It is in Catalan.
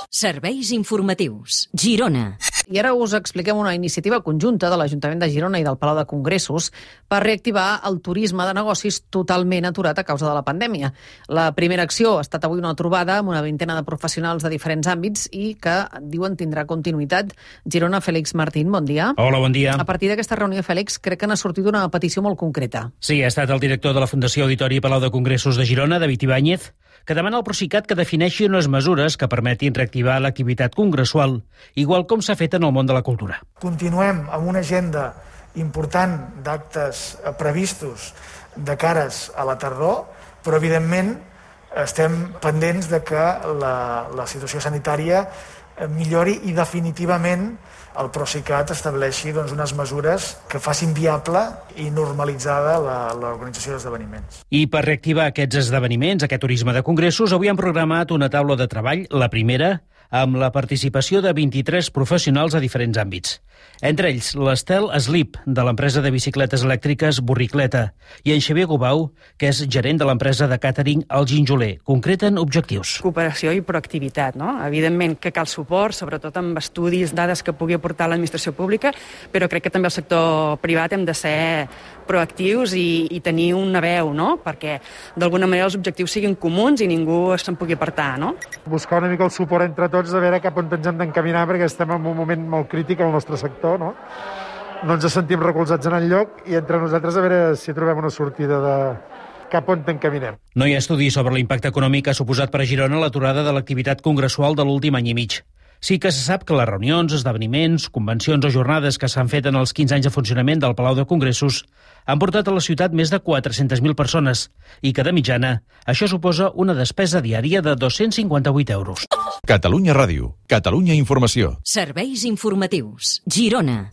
Serveis informatius. Girona. I ara us expliquem una iniciativa conjunta de l'Ajuntament de Girona i del Palau de Congressos per reactivar el turisme de negocis totalment aturat a causa de la pandèmia. La primera acció ha estat avui una trobada amb una vintena de professionals de diferents àmbits i que diuen tindrà continuïtat. Girona, Fèlix Martín, bon dia. Hola, bon dia. A partir d'aquesta reunió, Fèlix, crec que n'ha sortit una petició molt concreta. Sí, ha estat el director de la Fundació Auditori i Palau de Congressos de Girona, David Ibáñez, que demana al Procicat que defineixi unes mesures que permetin reactivar l'activitat congressual, igual com s'ha fet en el món de la cultura. Continuem amb una agenda important d'actes previstos de cares a la tardor, però evidentment estem pendents de que la situació sanitària millori i definitivament el Procicat estableixi unes mesures que facin viable i normalitzada l'organització d'esdeveniments. I per reactivar aquests esdeveniments, aquest turisme de congressos, avui han programat una taula de treball, la primera, amb la participació de 23 professionals a diferents àmbits. Entre ells, l'Estel Eslip, de l'empresa de bicicletes elèctriques Burricleta, i en Xavier Gubau, que és gerent de l'empresa de càtering El Ginjoler. Concreten objectius. Cooperació i proactivitat, no? Evidentment que cal suport, sobretot amb estudis, dades que pugui aportar l'administració pública, però crec que també el sector privat hem de ser proactius i tenir una veu, no? Perquè d'alguna manera els objectius siguin comuns i ningú se'n pugui apartar, no? Buscar una mica el suport entre tots, de veure cap on ens hem d'encaminar, perquè estem en un moment molt crític al nostre sector, no? No ens sentim recolzats en enlloc i entre nosaltres a veure si trobem una sortida de cap on t'encaminem. No hi ha estudi sobre l'impacte econòmic que ha suposat per a Girona l'aturada de l'activitat congressual de l'últim any i mig. Sí que se sap que les reunions, esdeveniments, convencions o jornades que s'han fet en els 15 anys de funcionament del Palau de Congressos han portat a la ciutat més de 400.000 persones i que, de mitjana, això suposa una despesa diària de 258 euros. Catalunya Ràdio. Catalunya Informació. Serveis informatius. Girona.